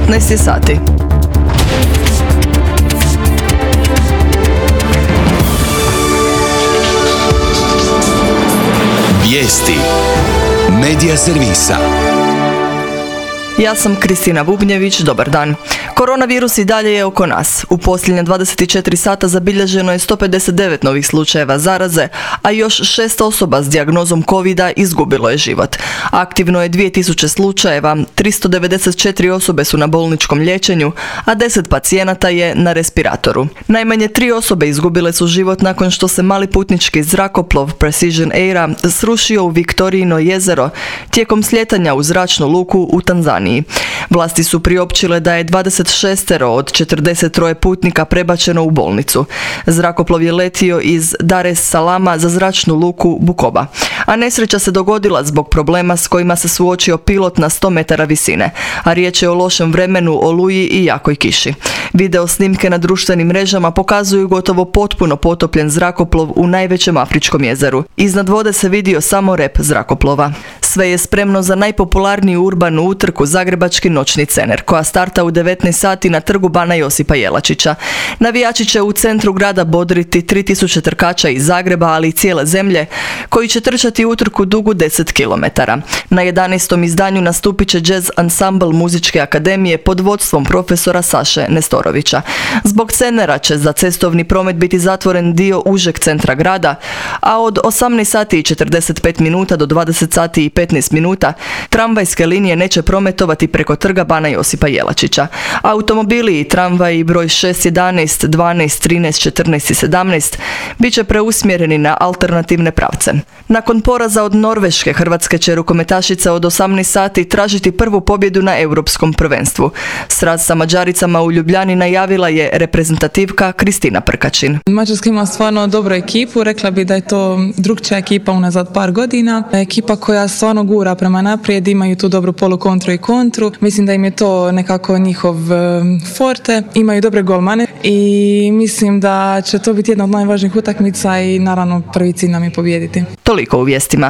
15 sati. Vijesti Medija servisa. Ja sam Kristina Vubnjević, dobar dan. Koronavirus i dalje je oko nas. U posljednja 24 sata zabilježeno je 159 novih slučajeva zaraze, a još 6 osoba s dijagnozom covida izgubilo je život. Aktivno je 2000 slučajeva, 394 osobe su na bolničkom liječenju, a 10 pacijenata je na respiratoru. Najmanje 3 osobe izgubile su život nakon što se mali putnički zrakoplov Precision Aira srušio u Viktorijino jezero tijekom slijetanja u zračnu luku u Tanzaniji. Vlasti su priopćile da je 26 od 43 putnika prebačeno u bolnicu. Zrakoplov je letio iz Dar es Salama za zračnu luku Bukoba, a nesreća se dogodila zbog problema s kojima se suočio pilot na 100 metara visine, a riječ je o lošem vremenu, oluji i jakoj kiši. Video snimke na društvenim mrežama pokazuju gotovo potpuno potopljen zrakoplov u najvećem afričkom jezeru. Iznad vode se vidio samo rep zrakoplova. Sve je spremno za najpopularniju urbanu utrku Zagrebački noćni cener, koja starta u 19 sati na trgu Bana Josipa Jelačića. Navijači će u centru grada bodriti 3000 trkača iz Zagreba, ali i cijele zemlje, koji će trčati utrku dugu 10 km. Na 11. izdanju nastupit će jazz ansambl Muzičke akademije pod vodstvom profesora Saše Nestorovića. Zbog cenera će za cestovni promet biti zatvoren dio užeg centra grada, a od 18 sati i 45 minuta do 20 sati i 15 minuta tramvajske linije neće prometovati preko trga Bana Josipa Jelačića. Automobili i tramvaji broj 6, 11, 12, 13, 14 i 17 bit će preusmjereni na alternativne pravce. Nakon poraza od Norveške, hrvatske će rukometašice od 18 sati tražiti prvu pobjedu na europskom prvenstvu. Sraz sa Mađaricama u Ljubljani najavila je reprezentativka Kristina Prkačin. Mađarska ima stvarno dobru ekipu, rekla bi da je to drugčija ekipa unazad par godina. Ekipa koja stvarno gura prema naprijed, imaju tu dobru polukontru i kontru. Mislim da im je to nekako njihov forte. Imaju dobre golmane i mislim da će to biti jedna od najvažnijih utakmica i naravno prvi cilj nam je pobijediti. Toliko u vijestima.